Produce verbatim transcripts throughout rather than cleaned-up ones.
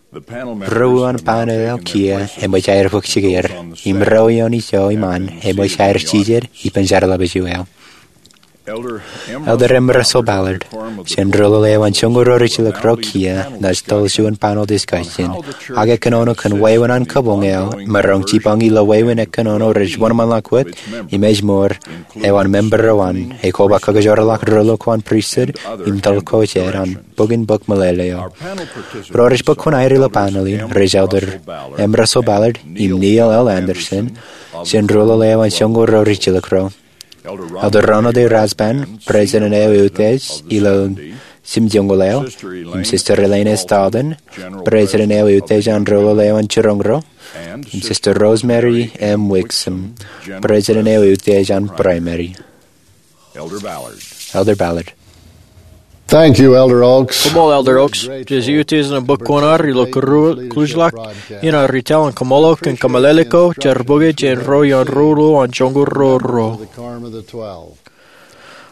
Ro uwaan panel eo kiiō eṃōj aer bōk jikier, im ro ioon ijo iṃaan eṃōj aer jijet ippān jerbal eo. Elder M. Russell Ballard, jān ro lale eo an joñoul ruo rijjilōk ro kiiō, naaj toḷ juon panel discussion, ak ekkōnono kōn wāween an kōboñ eo, maroñ jipañ ilo wāween ekkōnono rej wōnṃaanḷọk wōt, im ej mour, eo an member ro an, ekoba kakijoorḷọk ro lo ko an pristut, im toḷ ko jān bok in bōk meḷeḷe eo. Ro rej bōk kuṇaer ilo panel in, rej Elder M. Russell Ballard, im Neil L. Andersen, jān ro lale eo an joñoul ruo rijjilōk ro. Elder Ronald A. Rasband, President eo eutiej ilo Jimjiṃ Wōt Eo, im Sister Elaine S. Dalton, President eo eutiej an ro lale eo an jiroñ ro, im Sister Rosemary M. Wixom, President eo eutiej an Primary. Elder Ballard. Thank you, Elder Oaks. Koṃṃool, Elder Oaks. Jej eutiej ñan bōk kuṇaer ilo kōruuḷ, kōruuḷḷọk in ad ri taḷ in kaṃṃoolol kōn kōmeḷeḷe ko jerbal eo jān ro ioon ro lale eo an joñoul ruo ruo.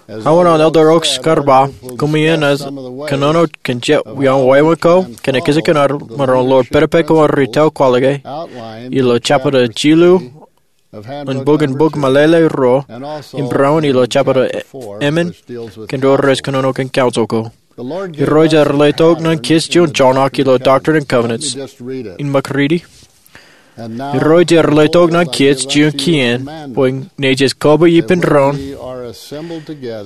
Aō an Elder Oaks kar ba, koṃeañ naaj kōnono kōn jet ioon wāween ko, kōn ekijjeen ad maroñ ḷoor pedped ko an ri taḷ kwaḷọke, ilo jebta jilu, an bok in bok meḷeḷe ruo, im barāinwōt ilo jebta emān, kōn ro rej kōnono kōn council ko. Irooj ear letok ñan kōj juon joñak ilo Doctrine and Covenants, in ṃōk riiti. Irooj ear letok ñan kōj juon kien, bwe ñe jej koba ippān doon,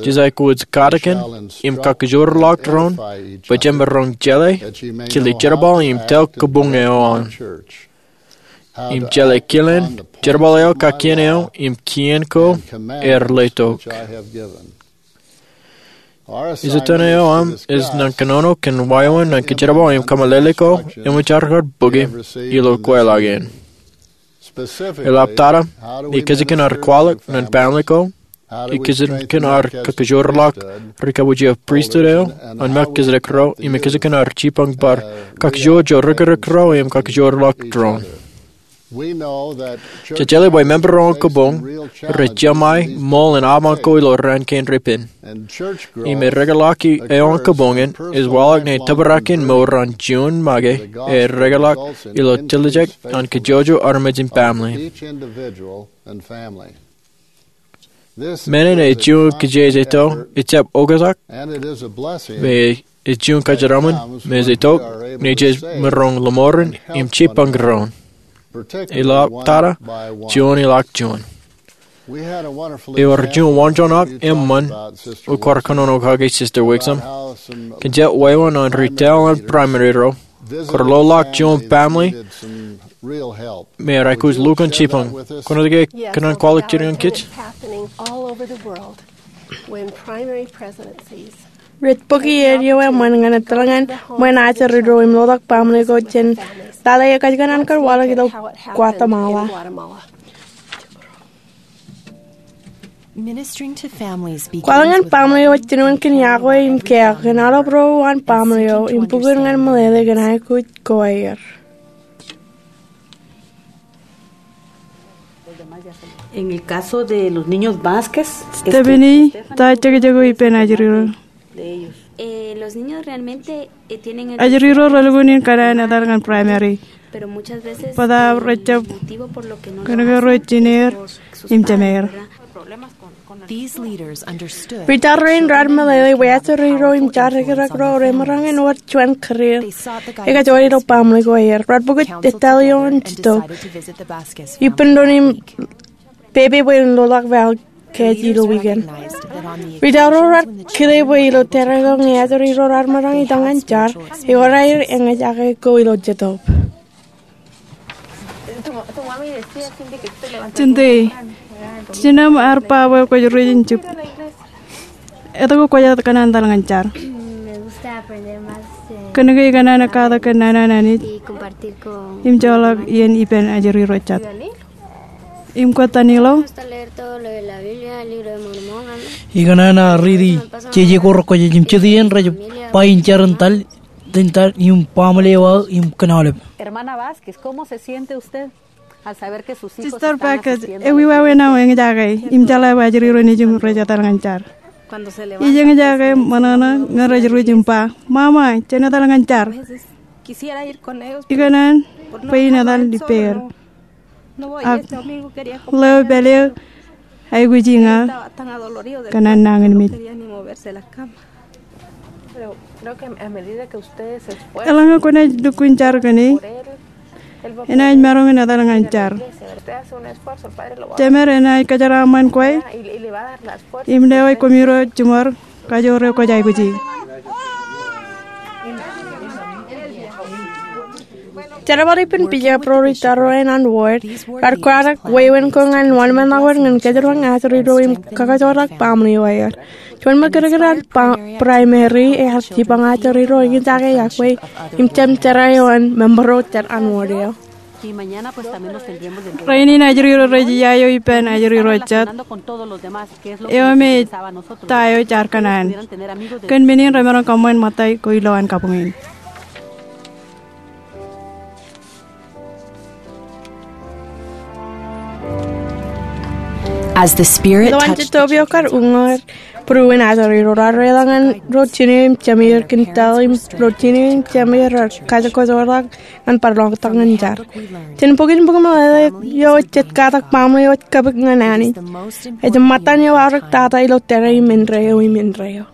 jej aikuj katakin, im kakijoorḷọk doon, bwe jemaroñ jeḷā, kile jerbal im taḷ kabuñ eo an. Im jeḷā kilen, jerbal eo kakien eo, im kien ko, ear letok. Ijjiten eo aṃ ej ñan kōnono kōn wāween ñan kōjerbal im kōmeḷeḷe ko, eṃōj aer kar bōke, ilo kweilọk in. Eḷap tata, ekijjeen ad kwaḷọk ñan baaṃle ko, ekijjeen ad kakijoorḷọk ri kabwij eo pristut eo, an Melchizedek ro, im ekijjeen ad jipañ bar kakijoor jo rikirikōk ro, im kakijoorḷọk doon. Jej jeḷā bwe member eo an kabuñ, rej jeṃae ṃool in aṃ ko ilo raan kein repen. Im erekeḷọk eo an kabuñ in, ej waḷọk ñe tōprak in mour an juon make, erekeḷọk ilo tiljek an kōjwōjwōj armej im baaṃle. Men in ej juon kijejeto, ejjab oktak, im ej juon kōjeraṃṃan, im ej itok, ñe jej maroñ ḷōṃorin, im jipañ doon. Eḷap tata, juon ilọk juon. Ewōr juon waanjoñak eṃṃan, eo kwaar kōnono kake Sister Wixom. Kōn jet wāween an ri taḷ an Primary ro, kwaar ḷoḷḷọk juon baaṃle, im ear aikuj lukkuun jipañ. Kwōnaaj ke kōṇaan kwaḷọk jidik ñan kōj? Rej bōki eo eṃṃan ñan etal ñan ṃōn ajri ro im ḷotak baaṃle ko jān lale eo kajjien an kar waḷọk ilo Guatemala. Kwaḷọk ñan baaṃle eo ej jinoin kōn iọkwe im keok kōn aolep ro uwaan baaṃle eo im bukun ñan meḷeḷe kōn aikuj ko aer. En el caso de los niños Vázquez, Stephanie, ta jekjek eo ippān ajri ro? Eh, los niños realmente, eh, tienen el Ajri ro relukkuun in kōṇaan etal ñan Primary. Pero muchas veces, bōtaab, eh, rejjab, el motivo por lo que no lo hacen, kōnke ro jineer, sus padres, im jemeer, ¿verdad? Ri jar rein raar meḷeḷe bwe ajri ro im jar rikirikōk ro remaroñ in wōr juon kōrā eo ekajjioñ ilo baaṃle ko aer. Raar bōk etal ioon Jetōb ippān doon im pepe bwe en ḷoḷḷọk vaḷ kōj ilo wiik in. Ri jar ro raar kile bwe ilo tōre ko ñe ajri ro raar maroñ itok ñan jar, ewōr aer eñjake go ilo Jetōb. Jinte, jinen aṃ ear ba bwe kwōj ruj in jib. Etke kwōj kōṇaan etal ñan jar? Kōnke ikōṇaan katak kōn nana an Anij im joḷọk iien ippān ajri ro jet. Im kwōj tanilo? Ikōṇaan riiti jeje ko rekwōjarjar im jet iien rej ba in jar in tal, in tal im baaṃle eo aō im kōn aolep. Hermana Vázquez, ¿cómo se siente usted al saber que sus hijos están asistiendo a la iglesia? Sister Vázquez, ewi wāween aṃ eñjake im jeḷā bwe ajri ro nejūṃ rej etal ñan jar? Ij eñjake ṃōṇōṇō ñe rej ruj im ba, "Mama, jen etal ñan jar." Ikōṇaan bwe in etal ippāer. Ak ḷeo pād eo aikuji ña kōn an nañinmej. Eḷaññe kwōnaaj lukkuun jar kōn e, enaaj maroñ in etal ñan jar. Jemed enaaj kōjeraaṃṃan kwe im lewōj koṃiro jiṃor kajoor eo kwōj aikuji. Jerbal ippān Bishop ro ri tōre ro an ward raar kwaḷọk wāween ko ñan wōnṃaanḷọk wōt ñan kōjparok ajri ro im kakajoorḷọk baaṃle eo aer. Juon ṃōk kōdkōd an primary ear jipañ ajri ro eñjake iọkwe im jemjerā eo an member ro jān an ward eo. Rainin ajri ro rej iiaio ippān ajri ro jet eo me ta eo jaar kōṇaan. Kōn men in remaroñ kōṃṃan ṃōttan ko ilo an kabuñ in. As the Spirit Ilo an touched the jetōb eo kar uññūr, būruon ajri ro raar reḷọk ñan ro jine im jemeer kōn tōl im ro jine im jemeer raar kajjojo ḷọk ñan bar ḷotak ñan jar. Jān bok in bok in meḷeḷe eo jet katak baaṃle eo ej kōpik ñan Anij. Ej ṃōttan eo aorōk tata ilo tōre im indeeo im indeeo.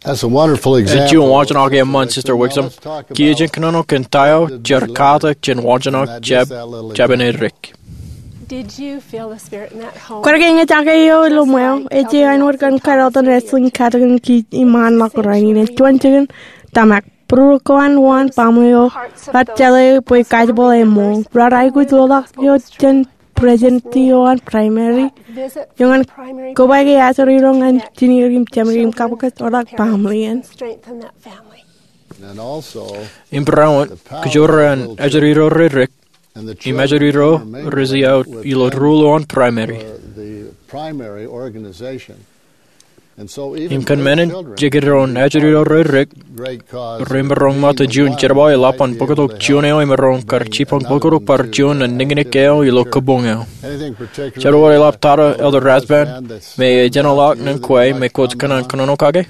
That's a wonderful example. Ej juon wōnṃaanḷọk eṃṃan, Sister Wixom. Kiiō jen kōnono kōn ta eo jar katak jān wōnṃaanḷọk jab, jabōn edik. Did you feel the Spirit in that home? Kwaar ke eñjake eo ilo ṃweo? Ej āinwōt kōn kadeḷọñ wrestling katakin kiij iṃaanḷọk rainin. Ej juon jikin tōmak. Būruon ko an wōn baaṃle eo raar jeḷā bwe kajjitōk eo eṃṃool. Raar aikuj ḷoḷḷọk eo jān president eo an primary eo ñan kobaik ajri ro ñan jineer im jemeer im kakajoorḷọk baaṃle in. Im barāinwōt, kajoor an ajri ro redik im ajri ro rej iiaut ilo ruo eo an primary. Im kōn men in, jikin doon ajri ro redik remaroñ ṃōttan juon jerbal eḷap an bōktok juon eo emaroñ kar jipañ bōktok bar juon nañinmej eo ilo kabuñ eo. Jen wōnṃaanḷọk tata Elder Rasband me ejjeḷọk ñan kwe me kwōj kōṇaan kōnono kake.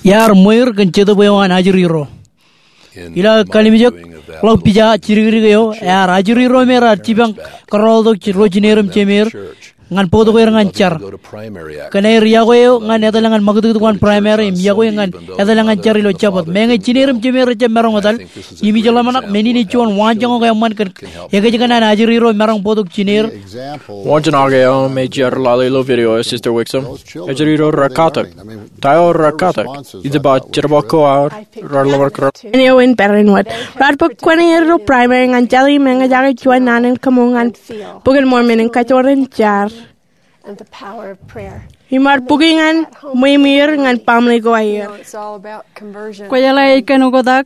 Iar ṃweier kōn jetōb eo an ajri ro. Ilo aō kalimjek ḷọk pija jidikdik eo, ear ajri ro me raar jipañ kōrọọltok ro jineer im jemeer ñan bōktok er ñan jar. Kōn aer iọkwe eo ñan etal ñan ṃakūtkūt ko an primary im iọkwe ñan etal ñan jar ilo Jabōt. Meñe jineer im jemeer rejjab maroñ etal, im ij ḷōmṇak men in ej juon waanjoñak eṃṃan kōn ekōjkan an ajri ro maroñ bōktok jineer. Waanjoñak eo me jar lale ilo video eo, Sister Wixom. Ajri ro raar katak. Ta eo raar katak? Ij ba jerbal ko aō raar ḷōmṇak. Āinwōt barāinwōt, raar bōk kōn er ilo primary ñan jeḷā im eñjake juon naan in kaṃool ñan Bok in Mormon im kajoor in jar. Im raar bōki ñan ṃweo ṃweer ñan baaṃle ko aer. Kwōjeḷā ej kōn oktak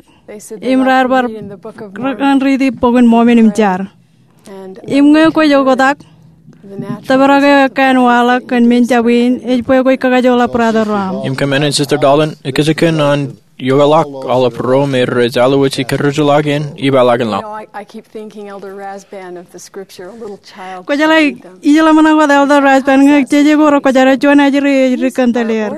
im raar bar rōk ñan riiti Bok in Mormon im jar. Im ñe kwōj oktak, tōprak eo ekkā an waḷọk kōn men jab in ej bwe kwōj kakajoorḷọk brother ro aṃ. Im kōn men in, Sister Dalton, ekōjkan an iokḷọk aolep ro me rej alwōj ikōrọọlḷọk in ippaḷọkin ḷọk. Kwōjeḷā, ij ḷōmṇak wōt Elder Rasband ñe jeje ko rekwōjarjar juon ajri ej dik kōn tōl er.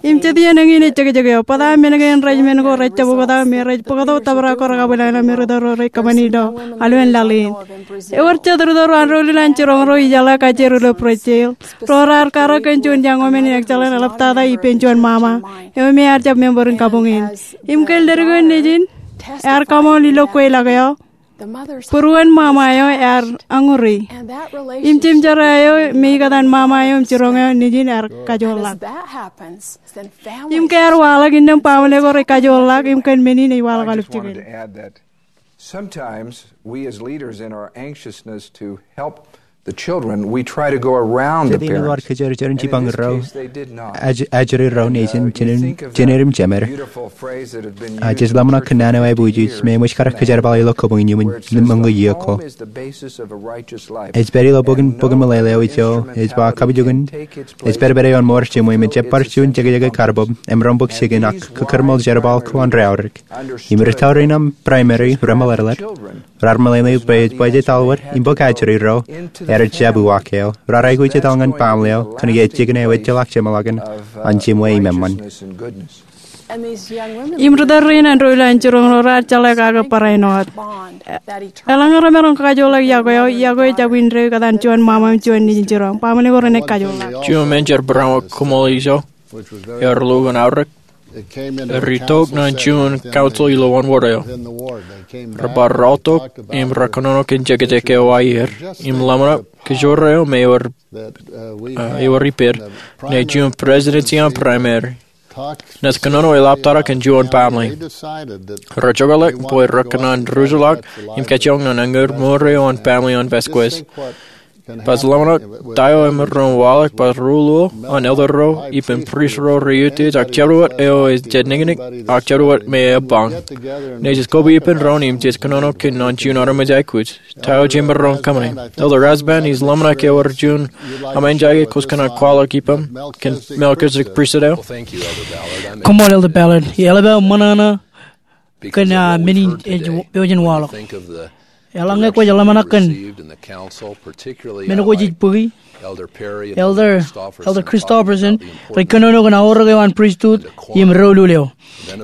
Im jet iien eñin ej jekjek eo. Bōtab men kein rej men ko rej jab oktak me rej bōktok tōprak ko rekabwilōñlōñ me ritōl ro rej kōṃṃani ilo aolep laḷ in. Ewōr jet ritōl ro an ro ilowaan jiroñ ro ijeḷā kajjitōk ilo Brazil ro raar karōk kōn juon young woman in excellent eḷaptata ippān juon ṃaṃa eo me ear jab member in kabuñ in. Im kōn ledik eo nejin ear kaṃool ilo kweilọk eo, būruon ṃaṃa eo ear añuri. Im jemjerā eo me ikōtaan ṃaṃa eo im jiroñ eo nejin ear kajoorḷọk. Im ke ear waḷọk innām baaṃle ko rej kajoorḷọk im kōn men in ej waḷọk aolep jikin. Sometimes we as leaders, in our anxiousness to help the children, we try to go around the parents. Jet iien eo ad kōjerajer in jipañ ro, ajri ro nejin, jineer im jemeer. Jej ḷōmṇak kōn naan eo aō aikuj me eṃōj kar kōjerbal ilo kabuñ in iuṃwin ṃōñā iiō ko. Ej pād ilo bok in, bok in meḷeḷe eo ijo ej ba kabujukin ej pād pād ioon ṃour jiṃwe im ejjab bar juon jekjek karbōb, emaroñ bōk jikin ak kōkōrṃool jerbal ko an reaorōk. Im ri tōre in aṃ primary remeḷeḷe, raar meḷeḷe bwe ej bajjek aolep im bōk ajri ro Ej jab uwaak eo, raar aikuj etal ñan baaṃle eo kōnke ejjekōn eo ejjeḷọk jeṃḷọkin an jemwe im eṃṃan. Im ri tōl rein an ro ilo an jiroñ ro raar jeḷā kake barāinwōt. Eḷaññe remaroñ kajoorḷọk yokwe eo, yokwe eo jab indeeo kōtaan juon ṃaṃa im juon nejin jiroñ. Baaṃle ko renaaj kajoorḷọk. Juon men jar barāinwōt koṃṃool ijo eo rej lukkuun aorōk. Rej itok ñan juon council ilo wōnṃaanḷọk eo. Rej bar rọọltok im rej kōnono kōn jekjek eo aer im ḷōmṇak kōjro eo me ewōr, uh, ewōr ippād ñe juon presidency an primary. Naaj kōnono eḷaptata kōn juon baaṃle. Rej jokḷọk bwe rej kōṇaan ruj ḷọk im kajjioñ ñan añūr mour eo an baaṃle an Vasquez. Baj ḷōmṇak ta eo emaroñ waḷọk baj ri-ruo an elder ro ippān priest ro rej utiej ak jabdewōt eo ej jab nōñinñik ak jabdewōt me ebañ. Naaj koba ippān doon im jej kōnono kōn juon armej aikuj. Ta eo jemaroñ kōṃṃane. Elder Rasband, ij ḷōmṇak ewōr juon aṃ enjake kwōj kōṇaan kwaḷọk ippaṃ kōn Melchizedek Priesthood eo. Koṃṃool Elder Ballard. Eḷap aō ṃōṇōṇō kōn, ah, men in ej pojak in waḷọk. Eḷaññe kwōj ḷōmṇak kōn men ko jej bōki, Elder, Elder Christofferson rej kōnono kōn aorōk eo an priesthood im doulul eo.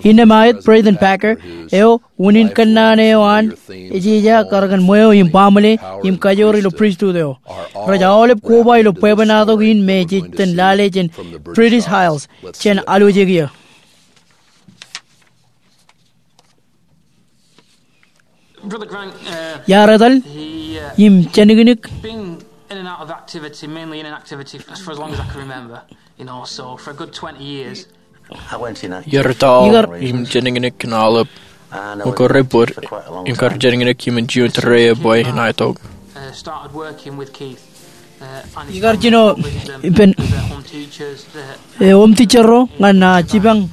Innām aet Braden Packer eo, unin kōnnaan eo an ejeja kar kōn ṃweo im baaṃle im kajoor ilo priesthood eo. Rej aolep koba ilo bwebwenato in me jej itōn lale jān British Isles jān alwōjek iiō. Brother Grant, uh, iar etal, he, uh, im jeniknik. Been in and out of activity, mainly in and activity for, for as long as I can remember. You know, so for a good twenty years. Iar etal im jeniknik kōn aolep. Ukōt rej bōd im kar jeniknik im juon tōre ebwe in aetok. Uh, started working with Keith. Ikar jino ippān, eh, home teacher ro ñan, ah, jipañ.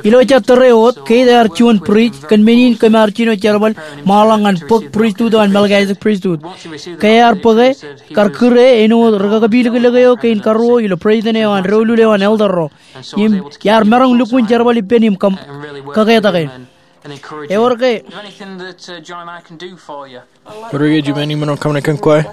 Ilo jet tōre wōt, Keith ear juon priest, kōn men in kōm ar jino jerbal ṃaanḷọk ñan bōk priesthood eo an Melchizedek Priesthood. Ke ear bōke, kar kūr e āinwōt ri kakapilōklōk eo kein karuo ilo president eo an doulul eo an elder ro. Im iar maroñ lukkuun jerbal ippān im kōm, kaketak e. Ewōr ke Is there anything that, uh, John and I can do for you? Ewōr ke juon imaroñ kōṃṃane kōn kwe?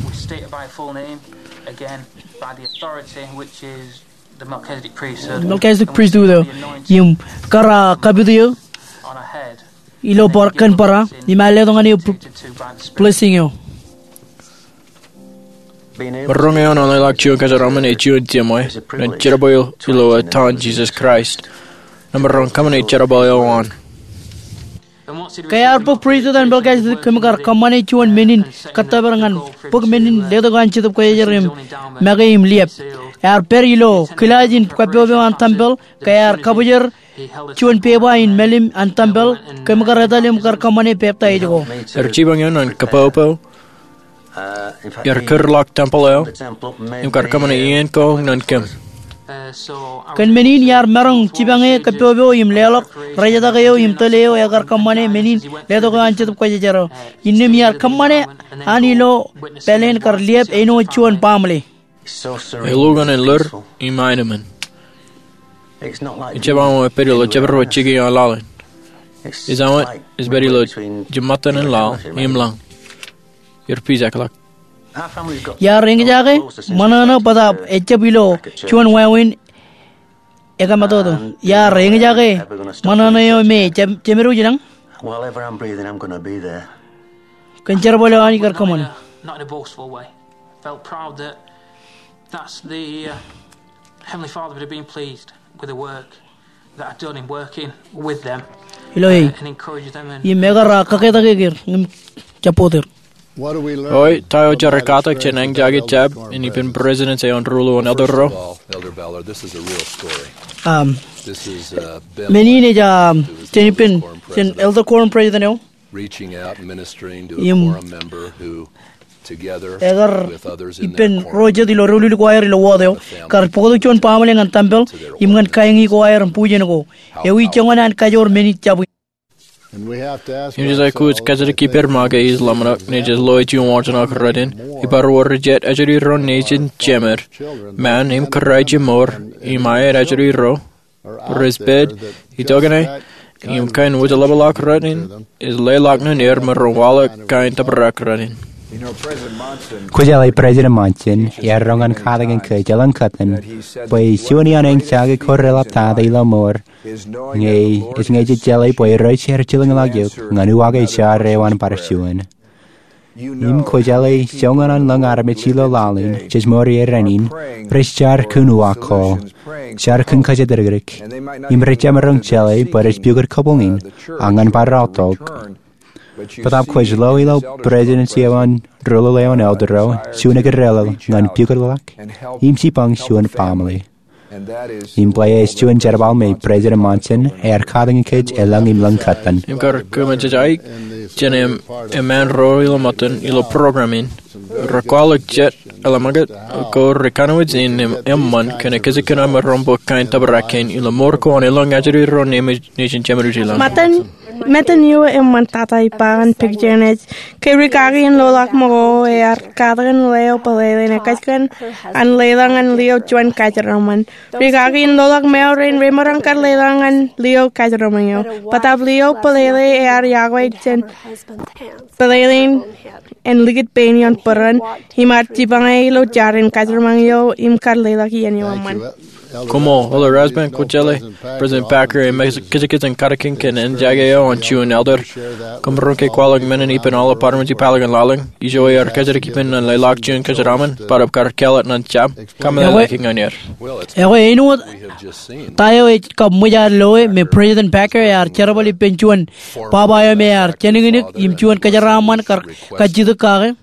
We state it by full name, again, by the authority which is the Melchizedek priesthood. Melchizedek priesthood eo, im kar, ah, kapit eō on our head. Ilo bar kōn barā, im ear letok ñan eō blessing eo. Maroñ eoon an ḷọk juon kōjeraaṃṃan ej juon jeṃḷọk ñan jerbal eo ilo etan Jesus Christ. Nōṃba, maroñ kōṃṃane jerbal eo an. Ke ear bōk priesthood an Melchizedek, kōm kar kōṃṃane juon men in kōttōpar ñan bōk men in letok an Jetōb Kwōjarjar im make im liep. Ear pād ilo kilaaj in kappopeo an tempel, ke ear kabōjrak juon pepa in mālim an tempel, kōm kar etal im kar kōṃṃane peptaij ko. Ewōr jipañ eo ñan kappopeo. Iar kūrḷọk tempel eo im kar kōṃṃane iien ko ñan kōm. Kōn men in iar maroñ jipañ e kappopeo im leḷọk rejetak eo im tōl eo ekar kōṃṃane men in letok eo an Jetōb Kwōjarjar eo. Innām iar kōṃṃane an ilo pāleen kar liep āinwōt juon baaṃle. Elukkuun en ḷoor im aenōṃṃan. Ejjab aṃ epād ilo jabdewōt jikier an laḷ in. Ej aṃ, ej pād ilo jiṃṃatan in laḷ im lañ. Iar pijak ḷọk. Iar eñjake ṃōṇōṇō bōtab ejjab ilo juon wāween ekōmatoto. Iar eñjake ṃōṇōṇō eo me jemedwōj ilañ. Kōn jerbal eo an ikar kōṃṃane. Felt proud that that's the, uh, Heavenly Father would have been pleased with the work that I'd done in working with them. Ilo e, uh, and encourage them and im ekar, uh, kaketak er im jab bōk er. Oi, ta eo jar katak jān eñjake jab in ippān president eo an ruo eo an elder ro? Um, men in ej, um, jān ippān, jān Elder Quorum President eo. Reaching out, ministering to a quorum member who, together with others in their quorum, ekar ippān ro jet ilo doulul ko aer ilo wōt eo, kar bōktok juon baaṃle ñan tempel im ñan kāiñi ko aer im bujen ko. Ewi joñan an kajoor men in jab in. Im jej aikuj kajjitōk ippād ṃōk ke ij ḷōmṇak, naaj loe juon wōjnak rot in, ibar wōr jet ajri ro nejin jemed, ṃaan im kōrā ijin mour, im aet ajri ro rej pād itokiṇe im kain wōjḷapḷọk rein ej leḷọk ñan er me ren waḷọk kain tōprak rein. Kwōjeḷā President Monson ear roñ an katakin kōj elōñ kōttan bwe juon iaan eñjake ko reḷaptata ilo mour ñe ej ñe jej jeḷā bwe Irooj ear jilkinḷọk eok ñan uwaak ej jar eo an bar juon. Im kwōjeḷā joñan an lōñ armej ilo laḷ in jej mour ie rainin rej jar kōn uwaak ko, jar kōn kōjatdikdik, im rej jab maroñ jeḷā bwe rej pukot kabuñ in, a ñan bar aotok. Bōtaab kwōj lo ilo presidency eo an ruḷuḷ eo an elder eo juon ekkar ḷọk ñan pukotḷọk im jipañ juon baaṃle. Im bwe ej juon jerbal me President Monson ear katakin kōj elōñ im lōñ kōttan. Im kar kōmij aik jān eṃṃaan ro ilo ṃōttan ilo program in, rekwaḷọk jet eḷap ṃōkaj ko rekanooj in eṃṃan kōn ekkejel kōn aṃ maroñ bōk kain tōprak kein ilo mour ko an elōñ ajri ro nejin Jemenūj ilañ. Ṃōttan eo eṃṃantata ippa an picture in ej ke rikaki in loḷọk ṃōko ear katakin leo bōlele in ekkejel kōn an leḷọk ñan lio juon kōjeraṃṃan. Rikaki in loḷọk ṃeo rein remaroñ kar leḷọk ñan lio kōjeraṃṃan eo. Bōtaab lio bōlele ear yokwe jān bōlele in en likūt pein ioon bōran im ear jipañe ilo jar in kōjeraṃṃan eo im kar leḷọk iien eo eṃṃan. Koṃṃool, Elder Rasband. Kwōjeḷā President Packer ej kajekaj in katakin kōn eñjake eo an juon elder. Koṃ maroñ ke kwaḷọk men in ippān aolep armej ipālọk in laḷ in. Ijo ear kōjatdikdik ippān ñan leḷọk juon kōjeraṃṃan bōtaab kar kāālōt ñan jab. Kōmij lale ñan er. Ekwe āinwōt ta eo ej kab ṃōj ad loe me President Packer ear jerbal ippān juon baba eo me ear jeniknik im juon kōjeraṃṃan kar kajjitōk kake.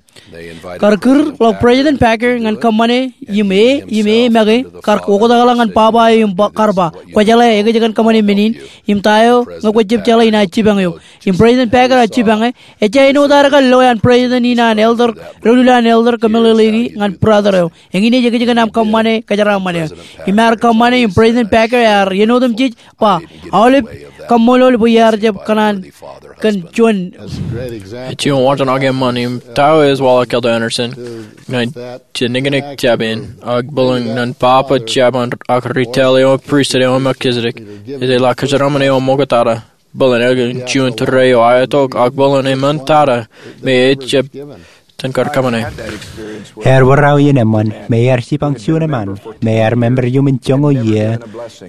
Kar kūr ḷọk President Packer ñan kōṃṃane im e im e make kar oktakḷọk ñan baba eo im kar ba, kwōjeḷā ekōjkan kōṃṃane men in im ta eo ñe kwōj jab jeḷā inaaj jipañ eok. Im President Packer ear jipañe. Ejja āinwōt ad kar loe an president in an elder, doulul an elder kōmeḷeḷeiki ñan brother eo. Eñin ej ekōjkan aṃ kōṃṃane kōjeraṃṃan eo. Im ear kōṃṃane im President Packer ear iien otemjej ba, aolep kaṃṃoolol bwe iar jab kōṇaan kōn juon. Ej juon wōnṃaantak eṃṃan im ta eo ej waḷọk Elder Andersen ñan jeniknik jab in ak bōlen ñan baba jab an ak ritōl eo an pristut eo an Melchizedek. Ej jeḷā kōjeraṃṃan eo ṃoktata bōlen elkin juon tōre eo aetok ak bōlen eṃṃantata me ej jab ten kar kōṃṃane. Ear wōr aō iien eṃṃan me ear jipañ juon eṃṃan me ear member iuṃwin joñoul iiō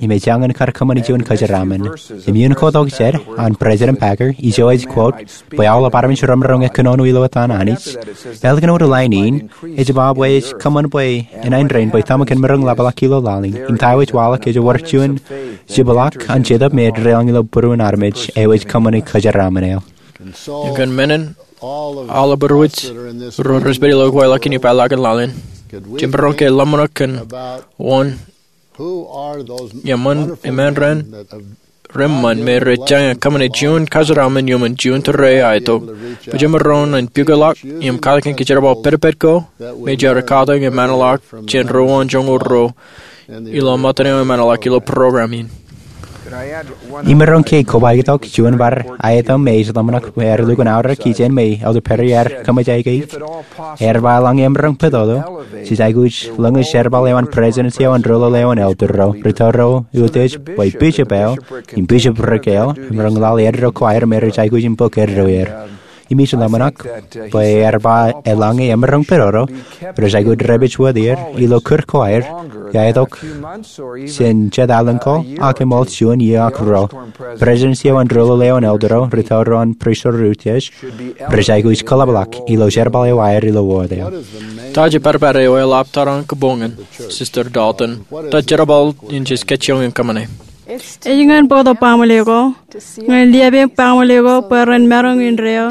im ej jañin kar kōṃṃane juon kōjeraṃṃan. Im iien ko tok jān an President Packer ijo ej quote bwe aolep armej remaroñ kōnono ilo etan Anij. Ālikin wōt lain in ej ba bwe ej kōṃṃan bwe enaaj rein bwe tōmak in maroñ ḷapḷọk ilo laḷ in im ta eo ej waḷọk ej wōr juon jepḷaak an Jetōb me ej deḷọñ ilo būruon armej eo ej kōṃṃane kōjeraṃṃan eo. Im kōn men in aolep ro rej pād ilo kweilọk in ippaḷọk in laḷ in, jemaroñ ke ḷōmṇak kōn wōn eṃṃan rein reṃṃan me rej jañin kōṃṃane juon kōjeraṃṃan iuṃwin juon tōre aetok. Bwe jemaroñ in pukotḷọk im katakin kōjerbal pedped ko me jar katakin eṃṃanḷọk jān ruo an joñoul ruo ilo ṃōttan eo eṃṃanḷọk ilo program in. Imaroñ ke kobaik tok juon bar aetōṃ me ij ḷōmṇak bwe ear lukkuun aorōk ijeṇ me Elder Perry ear kōṃōj aikuj. Ear ba eḷaññe emaroñ pād tok, jej aikuj ḷōñōj jerbal eo an presidency eo an ruḷuḷ eo an elder ro, ri tōre utiej bwe bishop eo im bishopric eo, emaroñ laḷ eddo ko aer me rej aikuj in bōk eddo er. Im ij ḷōmṇak bwe ear ba eḷaññe emaroñ pād tok, rej aikuj dāpij wōt er ilo kūr ko aer, iaetok jān jet alen ko ak eṃool juon iiō ak ruo. Presidency eo an ruḷuḷ eo an elder ro, ri tōre ro an pristut ro utiej, rej aikuj kōḷapḷọk ilo jerbal eo aer ilo wōt eo. Ta ej pād pād eo eḷap tar an kōbuñ in, Sister Dalton? Ta jerbal in jej kōjjioñ in kōṃṃane? Ej ñan bōktok baaṃle ko, ñan liapeeṃ baaṃle ko bwe ren maroñ indeeo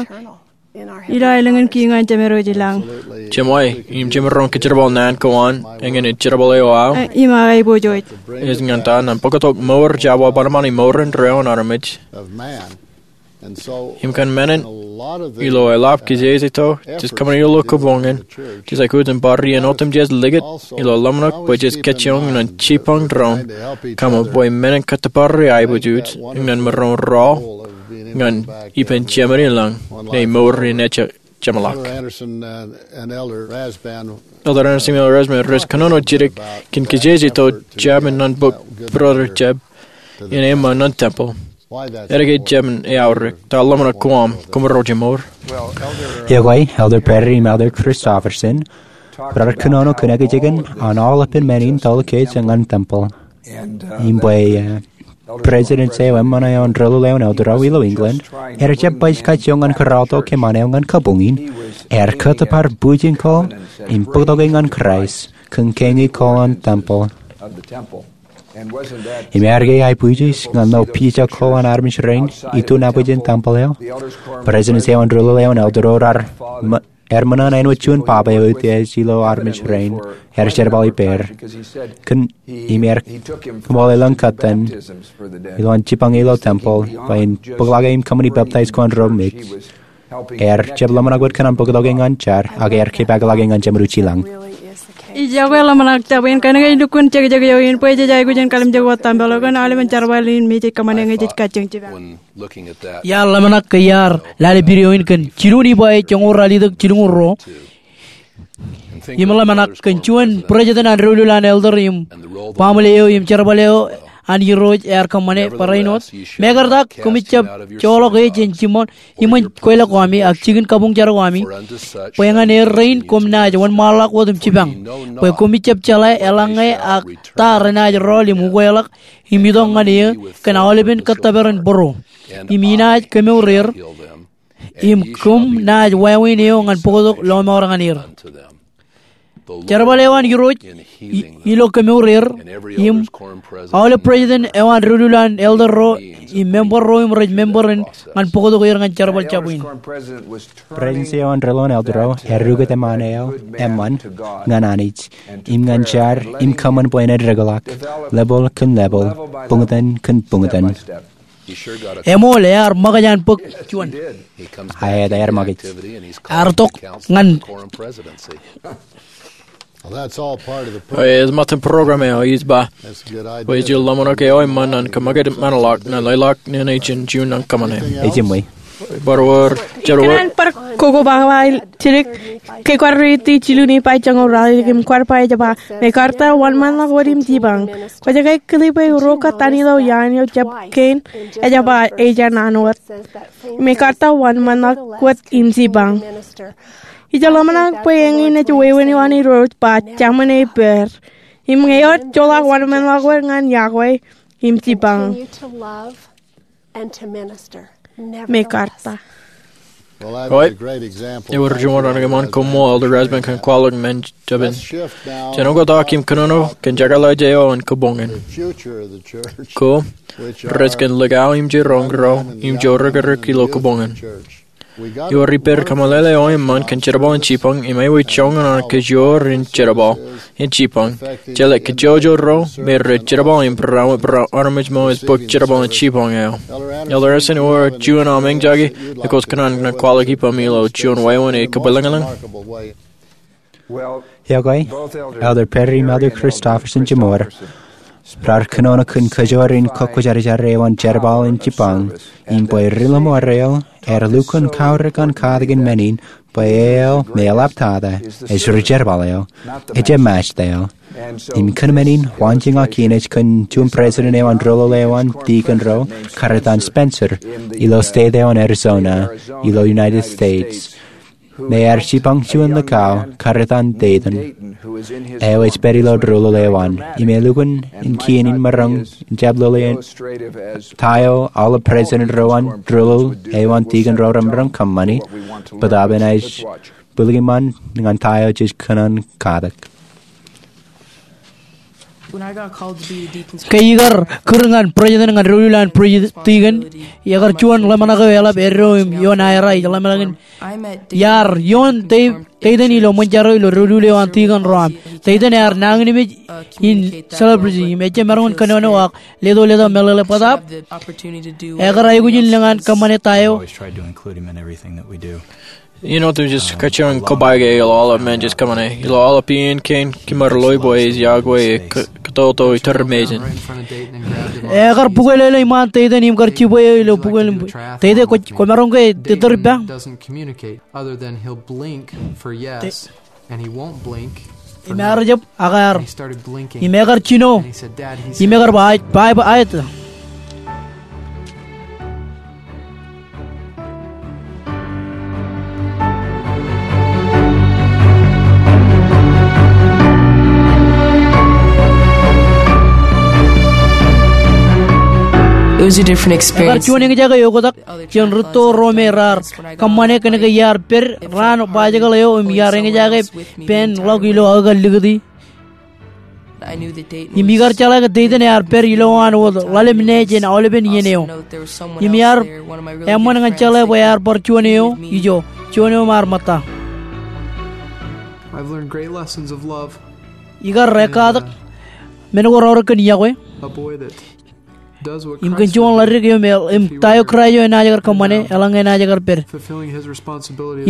ilo aelōñ in kiiñ an Jemedwōj ilañ. Jemwe, im jemaroñ kōjerbal naan ko an, eñin ej jerbal eo aō. Im aō aiboojoj. Ej ñan ta? Ñan bōktok mour jab wōnṃaanṃaan imour indeeo an armej. Im kōn men in, ilo eḷap kijeje tok jej kōṃṃane ilo kōbuñ in, jej aikuj in bar iien otemjej likūt ilo ḷōmṇak bwe jej kōjjioñ ñan jipañ doon, kōṃṃan bwe men in kōttōpar aiboojoj ñan maroñ rọọl ñan ippān Jemedwōj ilañ, ñe mour in ej jeṃḷọk. Elder Andersen im Elder Rasband rej kōnono jidik kōn kijeje tok jab in ñan bōk brother jab in eṃṃan ñan tempeḷ. Āinwōt ke jemān eaorōk, ta ḷōmṇak ko aṃ, koṃro jimor. Iọkwe, Elder Perry im Elder Christofferson, raar kōnono kōn ekijekan an aolepān men in tōl kōj ñan tempel. Im bwe, eh, President eo eṃṃan eo an Rūḷuḷ eo an Elder ro ilo England, ear jab baj kajjioñ ñan kōrọọlto kōṃṃan eo ñan kabuñ in, ear kōttōpar bwijin ko im bōktoke ñan Kraist kōn kein ko an tempel. Im ear ke aibwijin ñan lo pija ko an armej rein iturin nabōjin tempel eo? President eo an Rūḷuḷ eo an Elder ro raar ṃō- ear ṃōṇōṇō āinwōt juon papa eo eutiej ilo armej rein, ear jerbal ippāer. Kōn im ear kōṃṃool elōñ kōttan ilowaan jipañ ilo tempel bwe en bōkḷọk im kōṃṃani peptaij ko an ro mej. Ear jab ḷōmṇak wōt kōn an bōktoke ñan jar, ak ear kōpeḷḷọk ñan jeṃaduji lañ. Iọkwe, ḷōmṇak Jabwe in kōnke ej lukkuun jekjek eo in bwe jej aikuj in kalimjek wōt tempel eo kōn aolepān jerbal in me jej kōṃṃane ñe jej kajjioñ jipañ. Iar ḷōmṇak ke iar lale video in kōn jilñuul iba ej joñoul ralitōk jilñuul ruo. Im ḷōmṇak kōn juon president an doulul an elder im baaṃle eo im jerbal eo an Irooj ear kōṃṃane barāinwōt. Mekarta koṃij jab joḷọk e jān jiṃor iṃōn kweilọk ko ami ak jikin kabuñ jar ko ami, bwe ñan er rein koṃ naaj wōnṃaanḷọk wōt im jipañ, bwe koṃij jab jeḷā eḷaññe ak ta renaaj rọọl im ukweḷọk im itok ñan eō kōn aolepān kōttōpar in būruō. Im inaaj kemour er, im koṃ naaj wāween eō ñan bōktok lọmọọr ñan er. Jerbal eo an Irooj i- ilo kemour er, im aolep president eo an doulul an elder ro im member ro im rej member in ñan bōktok er ñan jerbal jabwe in. President eo an doulul an elder ro ear ukōt eṃṃan eo eṃṃan ñan Anij im ñan jar im kōṃṃan bwe en eddekḷọk, level kōn level, buñtōn kōn buñtōn. Eṃool, ear ṃōkaj an bōk juon. Aet, ear ṃōkaj. Ear tok ñan. Ej ṃōttan program eo ij ba bwe ij ḷōmṇak eo eṃṃan an kōṃṃakūt ṃanḷọk ñan leḷọk ñan ijin juon an kōṃṃane. Ej ṃōj. Bar wōr, jar wōr. Ikōṇaan bar kokoba ba jidik ke kwaar riiti jilu Nifai joñoul ralitōk im kwaar ba ej ba, mekarta wōnṃaanḷọk wōt im jipañ. Kwōj ke kile bwe ro kōttan ilo iaan eo jab kein ej ba ej naan wōt. Mekarta wōnṃaanḷọk wōt im jipañ. Ij ḷōmṇak bwe eñin ej wāween eo an Irooj ba jeṃaan ippāer. Im ñe ewōr joḷọk wōnṃaanḷọk wōt ñan iọkwe im jipañ. Mekarta. Eo, ewōr juon an eṃṃan koṃṃool Elder Rasband kōn kwaḷọk men jabōn. Jen oktak im kōnono kōn jekḷaj eo an kabuñ in. Ko rej kōn likao im jiroñ ro im jorōkrōk ilo kabuñ in. Ewōr ippāer kōmeḷeḷe eo eṃṃan kōn jerbal in jipañ im ewōr joñan an kajoor in jerbal in jipañ. Jeḷā kajjojo ro me rej jerbal im barāinwōt armej ṃōj bōk jerbal in jipañ eo. Elder Essen, ewōr juon aṃ eñjake, ekwe kwōj kōṇaan kwaḷọk ippaṃ ilo juon wāween e kōpeḷḷọk. Iọkwe, Elder Perry im Elder Christofferson jiṃor raar kōnono kōn kajoor in kōkkwōjarjar eo an jerbal in jipañ, im bwe ri-lọmọọr eo ear lukkuun kaorōk an katakin men in bwe eo me eḷap tata ej ri-jerbal eo, ejjab Mājta eo. Im kōn men in waanjoñak in ej kōn juon president eo an doulul eo an dikon ro, Karetan Spencer, ilo state eo an Arizona, ilo United States, me ear jipañ juon likao, Karetan Dayton, eo ej pād ilo doulul eo an, im elukkuun in kien in maroñ in jab lōḷḷe ta eo aolep president ro an doulul eo an dikon ro remaroñ kōṃṃani, bōtaab enaaj bwilōñḷọk ṃaan ñan ta eo jej kōṇaan katak. Ke ikar kūr ñan president ñan doulul an dikon, ekar juon ḷōmṇak eo eḷap eddo im ioon aerā ij ḷōmṇak in iar ioon Dayton ilo ṃōn jar eo ilo doulul eo an dikon ro aṃ. Dayton ear nañinmej in celebrity im ejjab maroñ in kōnono ak leto letok meḷeḷe bōtaab ekar aikuj in lōñ an kōṃṃane ta eo. Āinwōt im jej kajjioñ kobaik e ilo aolep men jej kōṃṃane, ilo aolep iien kein, kōmro ḷe bwe ej iọkwe e kōtōtō iturin mejān. Ekar bukweḷeḷe iṃaan Dayton im kar jibwe eo ilo bukweḷeḷe. Dayton, kwōmaroñ ke tōtōr ippa? Im ear jab ak ear. Im ekar jino. Im ekar ba aet, ba aet. Ekar juon eñjake eo oktak jān rūtto ro me raar kōṃṃane kōnke iar pād raan bajjekḷ eo im iar eñjake pān ḷọk ilo aō kar likūti. Im ikar jeḷā ke Dayton ear pād ilowaan wōt ḷalem ṇe jān aolepen iien eo. Im iar eṃṃan ñan jeḷā bwe ear bar juon eo ijo, juon eo im ar ṃōtta. Ikar ekkatak men ko raorōk kōn iọkwe. Im kōn juon ḷaddik eo im ta eo Kraist eo enaaj kar kōṃṃane eḷaññe enaaj kar pād.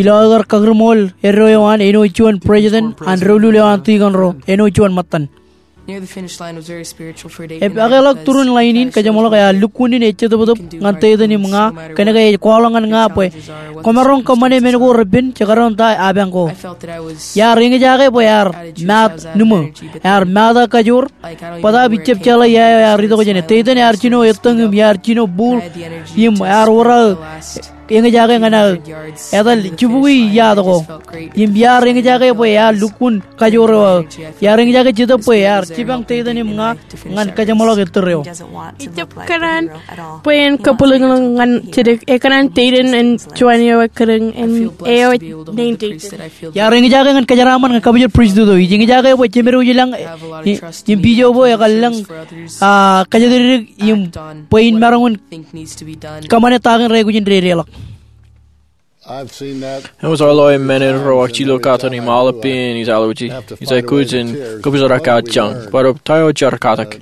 Ilo aō kar kakūrṃool eddo eo an āinwōt juon president an doulul eo an tikōn ro āinwōt juon ṃōttan. Epakeḷọk turin ḷain in, kōjeṃḷọk ear lukkuun in ej jetōptōp ñan Dayton im ña kōnke ej kwaḷọk ñan ña bwe kwōmaroñ kōṃṃane men ko repen jekdọọn ta apañ ko. Iar eñjake bwe ear maat ṇiṃo, ear maat aō kajoor, bōtaab ijjab jeḷā ia eo ear itok jāne. Dayton ear jino ettōñ im iar jino buul im ear wōr aō eñjake ñan aō etal jibukwi yaat ko. Im iar eñjake bwe ear lukkuun kajoor eo aō. Iar eñjake Jetōb bwe ear jipañ Dayton im ña ñan kōjeṃḷọk ettōr eo. Ijab kōṇaan bwe en kabwilōñlōñ ñan jidik, ekōṇaan Dayton en juon eo ekkar im eo ej naan Dayton. Iar eñjake ñan kōjeraaṃṃan ñan kabwilōñlōñ pristut eo. Ij eñjake bwe jemed eo ilañ im pijo bwe ekar lōñ, a, kōjatdikdik im bwe in maroñ in kōṃṃane ta kein rekwōj in dedeḷọk. Eṃōj aō ḷọk men eo ro ak jilōk katten im aolep pein ij alwōji. Ij aikuj in kōpooje aō kajjioñ. Bōtab ta eo jar katak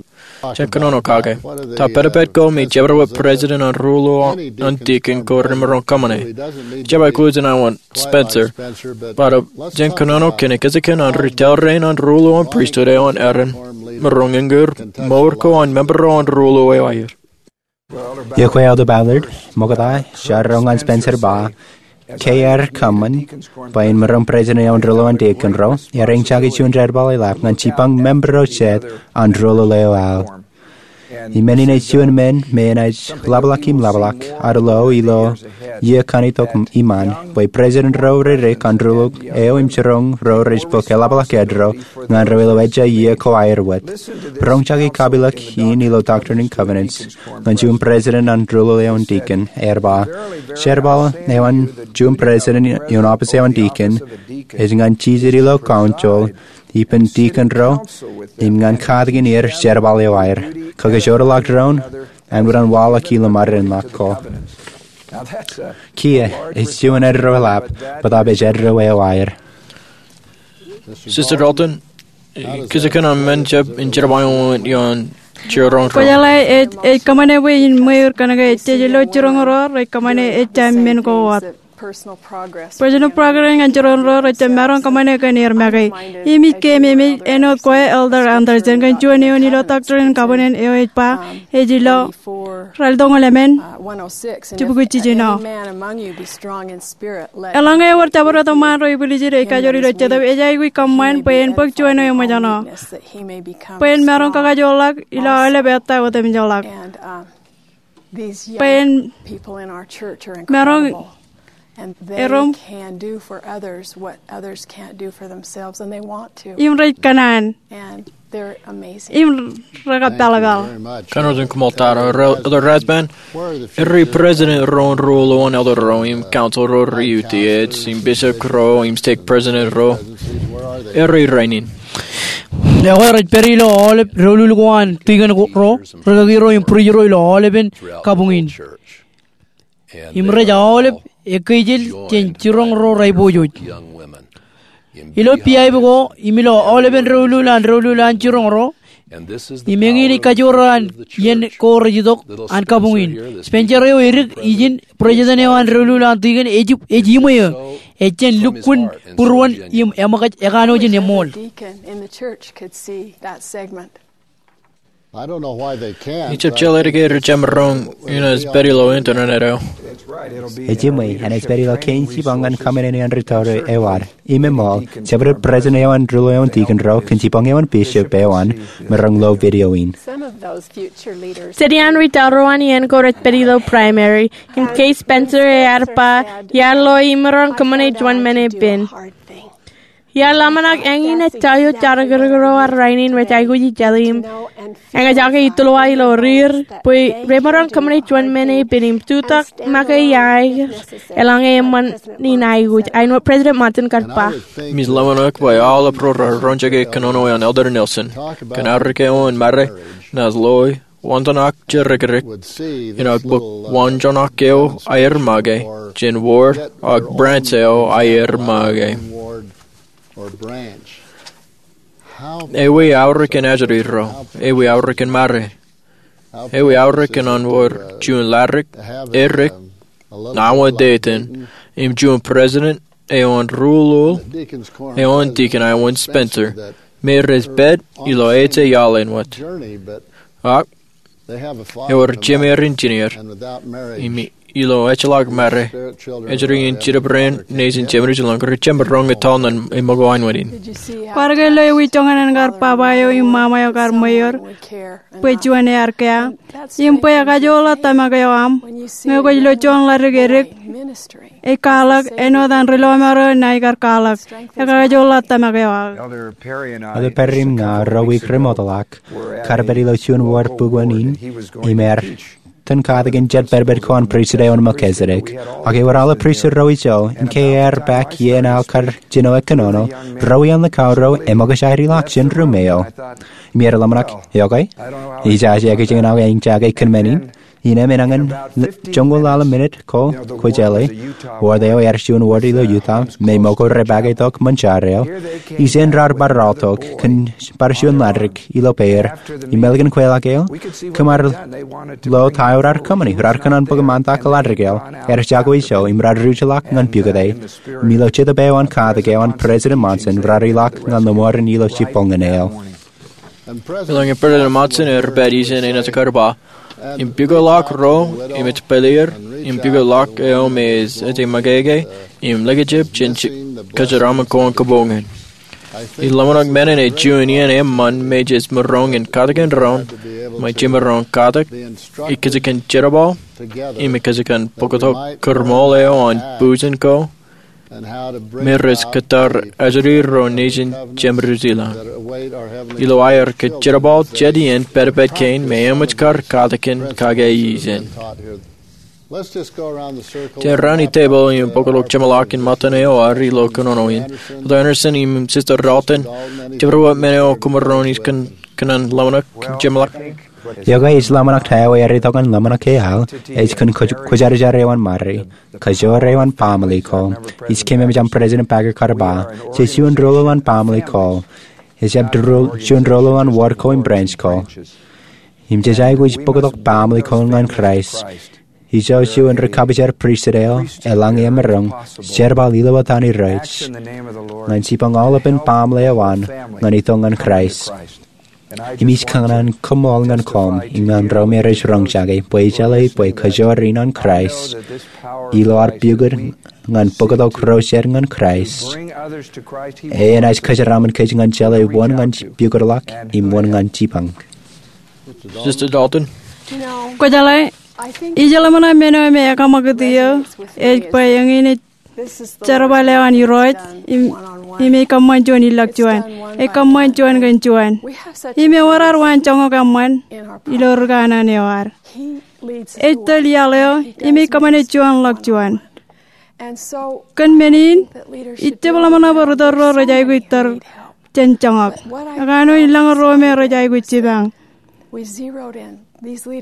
jān kōnono kake? Ta pād pād ko me jabdewōt president an ruo ḷọk an deacon ko remaroñ kōṃṃane? Ij aikuj in awa Spencer. Bōtab jān kōnono kōn ekkejek an ri tōl rein an ruo ḷọk an pristut eo an Aaron, maroñ eñoor mour ko an member eo an ruo ḷọk eo aer. Iọkwe Elder Ballard, ṃokta, jar ro ñan Spencer ba, ke ear kōṃṃan bwe en maroñ president eo an ruo ḷọk an deacon ro, ear eñjake juon jerbal eḷap ñan jipañ member ro jet an ruo ḷọk eo aō. Im men in ej juon men me enaaj ḷapḷọk im ḷapḷọk ad lo ilo iiō kaṇ itok iṃaan, bwe president ro redik an ruo ḷọk eo im jiroñ ro rej bōk eḷapḷọk eddo ñan ro ilo ejja iiō ko aer wōt. Roñjake kapilōk in ilo Doctrine and Covenants ñan juon president an ruo ḷọk eo an deacon, ear ba, jerbal eo an juon president ioon office eo an deacon ej ñan jijet ilo council ippān deacon ro im ñan katakin er jerbal eo aer. Kōkajorḷọk doon, āinwōt an waḷọk ilo ṃadein ḷọk ko. Kiiō ej juon eddo eḷap, bōtab ej eddo eo aer. Sister Dalton, kōjkan an men jab in jerbal eo an jiroñ ro. Kwōjeḷā ej, ej kōṃṃane bwe in ṃweiur kōnke ejjeḷọk jiroñ ro rej kōṃṃane ejja men ko wōt. Personal progress ñan jiroñ ro rej jab maroñ kōṃṃane kōn er make. Im ij keememej āinwōt kwe Elder Andersen kōn juon eoon ilo Doctrine and Covenants eo ej ba, ej ilo ralitōñoul emān, jibukwi jiljino. Eḷaññe ewōr jabdewōt eṃṃaan ro ibwiljid ej kajoor ilo Jetōb, ej aikuj kōṃṃan bwe en bōk juon eo eṃōjṇọ, bwe en maroñ kakajoorḷọk ilo aolep ettā otemjeḷọk. Bwe en maroñ erom im rej kōṇaan im rekapālpāl. Kōn ro jen koṃṃool ta ro, Elder Rasband, ri president ro an ruo ḷọk an elder ro im council ro rej utiej, im bishop ro im stake president ro, rej rainin. Ekwe rej pād ilo aolep doulul ko an deacon ro, rūkaki ro im bwidej ro ilo aolepen kabuñ in. Im rej aolep ekkeijel jān jiroñ ro rej pojoj. Ilo piaip ko im ilo aolepen doulul an doulul an jiroñ ro, im eñin ej kajoor an iien ko rej itok an kabuñ in. Spencer eo edik ijin president eo an doulul an deacon ej, ej iṃwe eō, ej jān lukkuun būruon im eṃōkaj ekanooj in eṃool. Ijab jeḷā ke rej jab maroñ enaaj pād ilo internet eo. Ej iṃwe, enaaj pād ilo kein jipañ ñan kōṃṃane an ri tōre eo ad. Im eṃool, jabdewōt president eo an ruo eo an deacon ro kōn jipañ eo an bishop eo an, maroñ lo video in. Jen iaan ri tōre eo an iien ko rej pād ilo primary, im ke Spencer ear ba, iar lo im maroñ kōṃṃane juon men epen. Iar ḷōmṇak eñin ej ta eo jar kōrkōr eo an rainin rej aikuj i jete im eñjake itōlwa ilo riir bwe remaroñ kōṃṃane juon men epen im jutak make iaer eḷaññe eṃṃan in aikuj. Āinwōt President Monson kar ba, im ij ḷōmṇak bwe aolep ro raar roñjake kōnono eo an Elder Nelson kōn arro ke eo an mare naaj loi waanjoñak jerkirek in ak bōk waanjoñak eo aer make jān ward ak branch eo aer make. Ewi aorōk in ajri ro? Ewi aorōk in mare? Ewi aorōk in wōr juon ladik erik ṇae wōt etan im juon president eo an ruo eo an dikon eo an Spencer me rej pād ilo ej iaḷ āinwōt? Ak ewōr jemāer engineer im ilo ejjeḷọk mare, ajri in jitōb rein nejin Jemerujalan rej jab roñ etal ṇe eṃōko āinwōt in. Kwaar ke lo ewi joñan an kar baba eo im ṃaṃa eo kar ṃweier bwe juon ear kea im bwe ekajoorḷọk tōmak eo aṃ ñe kwōj lo juon ladik erik ej kwaḷọk āinwōt an ri lọmọọr eo ṇae kar kwaḷọk, ekajoorḷọk tōmak eo aō. Elder Perry im ña ro wiik remootḷọk kar pād ilo juon ward bukwōn in im ear itōn katakin jet pedped ko an pristut eo an Melchizedek. Ak ewōr aolep pristut ro ijo, im ke ear bōk iien aō kar jino kōnono, ro iaan likao ro eṃōkaj aer ilọk jān ruum eo. Im iar ḷōmṇak, okay, ijaje ekijjien aō eñjake kōn men in. Innām enañin joñoul ḷalem minit ko, kwōjeḷā, ward eo ear juon ward ilo Utah me ṃōko rej bōk tok ṃōn jar eo. Ijeṇ raar bar rọọltok kōn bar juon ladik ilo peir im ālikin kweilọk eo, kōm ar lo ta eo raar kōṃṃani. Raar kōṇaan bōk ṃaantak ladik eo. Ear jako ijo im raar ruj ḷọk ñan pukot e. Im ilo Jetōb eo an katak eo an President Monson raar ilọk ñan lọmọọren ilo jibboñōn eo. Eḷaññe President Monson ear pād ijeṇ enaaj kar ba, im pukot ḷọk ro im ej pāleer, im pukot ḷọk eo me ej ṃōkeke im likjab jān kōjeraaṃṃan ko an kōboñōn. Ij ḷōmṇak men in ej juon iien eṃṃan me jej maroñ in katakin doon, ṃōj jemaroñ katak, ikijjien jerbal, im ikijjien bōktok kōrṃool eo an bujen ko me rej kōttar ajri ro nejin Jemerujalan ilo aer kōjerbal jet iien pedped kein me eṃōj kar katakin kake ijeṇ. Jen raan itebōḷ im bōktok jeṃḷọk in ṃōttan eo ad ilo kōnono in. Elder Andersen im Sister Dalton, jepdewōt men eo koṃ maroñ in kōṇaan ḷōmṇak jeṃḷọk? Iọkwe, ij ḷōmṇak ta eo ear itok ñan ḷōmṇak ke aḷ ej kōn kwōjarjar eo an ṃare. Kajoor eo an baaṃle ko. Ij kememej aṃ President Packer kar ba, jej juon doulul an baaṃle ko. Ejjab juon doulul an ward ko im branch ko. Im jej aikuj bōktok baaṃle ko ñan Kraist. Ijo juon ri kapijar pristut eo eḷaññe emaroñ jerbal ilo etan Irooj ñan jibboñ aolepān baaṃle eo an ñan itok ñan Kraist. Im ij kōṇaan koṃṃool ñan koṃ im ñan ro me rej roñjake bwe ij jeḷā bwe kajoor in an Kraist ilo ad pukot ñan bōktok ro jet ñan Kraist enaaj kōjeraaṃṃan kōj ñan jeḷā wōn ñan pukot ḷọk im wōn ñan jibboñ. Sister Dalton. Kwōjeḷā, ij ḷōmṇak men eo me ekaṃakūt eō ej bwe eñin ej jerbal eo an Irooj im, im ej kōṃṃan juon ilọk juon. Ej kōṃṃan juon kōn juon. Im ewōr ad waan joñak eṃṃan ilo ri kanaan eo ad. Ej tōl iaḷ eo im ej kōṃṃane juon ḷọk juon. Kōn men in, ij jab ḷōmṇak bwe ri tōl ro rej aikuj tōl jān joñak. Ekanooj in lōñ ruo me rej aikuj jipañ.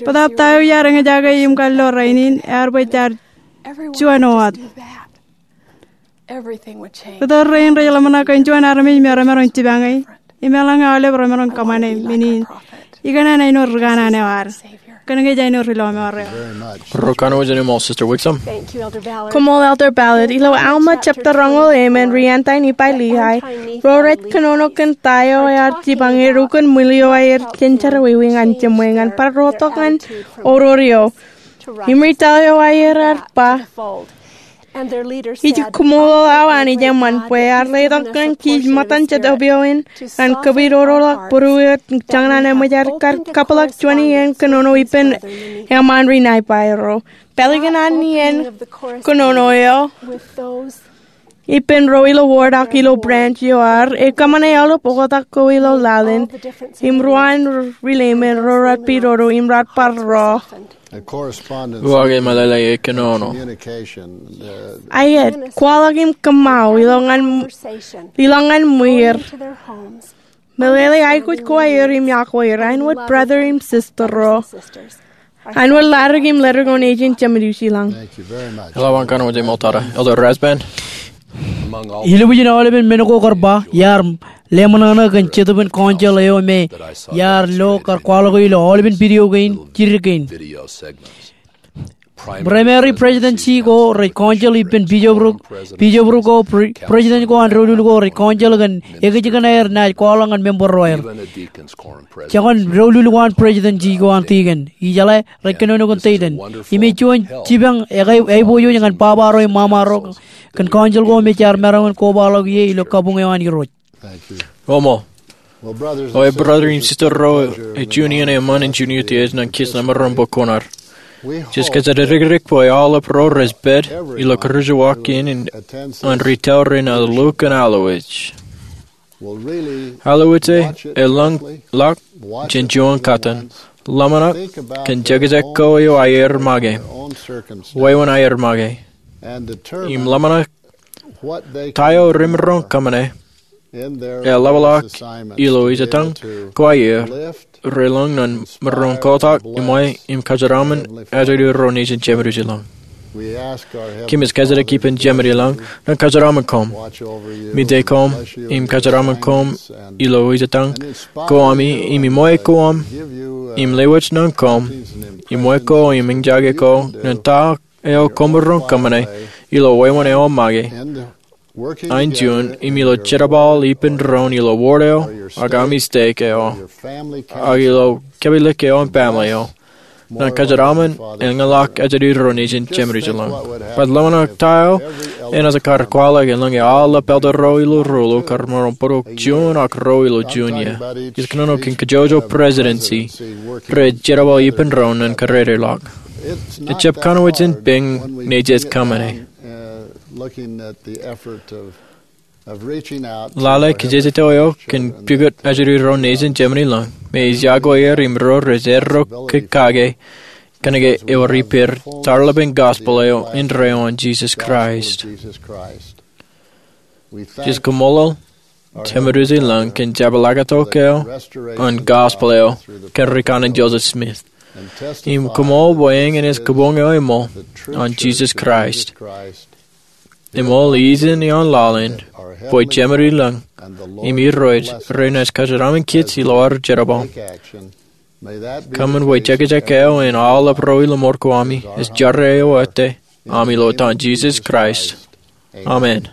Bōtaab ta eo iar eñjake im kar lo rainin ear bwe jaar juon wōt. Ri tōl rein rej ḷōmṇak kōn juon armej me remaroñ jipañe im eḷaññe aolep remaroñ kōṃṃane men in. Ikōṇaan āinwōt ri kanaan eo ad. Kōnke ej āinwōt ri lọmọọr eo. Ro kanooj in eṃṃool, Sister Wixom. Koṃṃool, Elder Ballard. Ilo Alma jebta roñoul emān, ri-anti Nifai Liai, ro rej kōnono kōn ta eo ear jipañ er ukōn ṃwiin eo aer jān jerọwiwi ñan jeṃṃe ñan bar rotok ñan oror eo. Im ri tōl eo aer ear ba, ij koṃṃool awa Anij eṃṃan bwe ear letok ñan kij ṃōttan jet opioid in ñan kōpooje ro ḷọk būruō eo joñan an eṃōj aer kar kabwilōk juon iien kōnono ippān eṃṃaan ri Nifai ro. Pālikūn an iien kōnono eo, Ippān ro ilo wōd ak ilo branch eo ad, ekōṃṃane aolep oktak ko ilo laḷ in, im ruwaan rileim ro raar pidodo im raar bar ro. Uwaak eṃōḷaḷḷe e kōnono. Aet, kwaḷọk im kōṃṃao ilo ñan, ilo ñan ṃwier. Meḷeḷe aikuj ko aer im iọkwe er, āinwōt brother im sister ro. Āinwōt ḷaddik im ledik eo nejin Jemedwōj ilañ. Eḷap an kōnono ṃōttan, Elder Rasband. Ilubwijin aolepen men ko kar ba, iar leṃōṇōṇō kōn Jetōb in council eo me iar lo kar kwaḷọk ilo aolepen video kein, jidik kein. Primary presidency ko rej council ippān bishop ko, pre-, president ko an doulul ko rej council kōn ekijjeen aer naaj kwaḷọk ñan member ro aer. Jekōn doulul ko an presidency ko an deacon. Ijeḷā rej kōnono kōn deacon. Im ej juon jipañ eo ej aiboojoj ñan baba ro im mama ro kōn council ko me jaar maroñ in kobaḷọk ie ilo kabuñ eo an Irooj. Koṃṃool. O e brother im sister ro, ej juon iien eṃṃan in junior tiej ñan kiiō ṇe maroñ bwe kwōn ar. Jej kōjatdikdik bwe aolep ro rej pād ilo kūrjewōj in an retail rein alukkuun Allowedge. Allowedge e elōñ ḷọk jān juon kōttan. Ḷōmṇak kōn jekjek ko eo aer make, wāween aer make, im ḷōmṇak ta eo remaroñ kōṃṃane. Eḷapḷọk ilo ijetañ ko aer relōñ ñan maroñ kotak im wāween im kōjeraṃṃan ajri ro nejin Jemedwōj ilañ. Kōmij kōjatdikdik ippān Jemān ilañ ñan kōjeraṃṃan koṃ, mejān koṃ, im kōjeraṃṃan koṃ ilo ijetañ ko ami im iṃwe ko aṃ im lewōj ñan koṃ, iṃwe ko im eñjake ko ñan ta eo koṃ maroñ kōṃṃane ilo wāween eo make. Āinjuon im ilo jerbal ippān doon ilo wōd eo ak ami stake eo ak ilo kōmālōtlōt eo im baaṃle eo ñan kōjeraṃṃan eñḷọk ajri ro nejin Jemān ilañ. Bwe ḷōmṇak ta eo enaaj kar kwaḷọk eḷaññe aolep elder ro ilo ruo ilo kar maroñ bōktok juon ak ruo ilo juon iiō. Ij kōnono kōn kajjojo presidency rej jerbal ippān doon ñan kōrā ḷọk. Ejjab kōnwōj in peñ ñe jej kōṃṃane. Lale kajjitōk eo kōn pukot ajri ro nejin Jemān ilañ me ej iọkwe er im ro rej erro ke kake kōnke ewōr ippāer tarlepen gospel eo indeeo an Jisōs Kraist. Jej kaṃṃoolol Jemedwōj ilañ kōn jepḷaaktok eo an gospel eo kōn rikaṇin Joseph Smith. Im kaṃṃoolol bwe eñin ej kabuñ eo eṃool an Jisōs Kraist. Eṃool ijin ioon laḷ in bwe Jemān ilañ im Irooj renaaj kōjeraṃṃan kōj ilo ad jerbal. Kōṃṃan bwe jekjek eo an aolep ro ilo mour ko ami ej jerā eo ettā ami ilo etan Jisōs Kraist. Amen.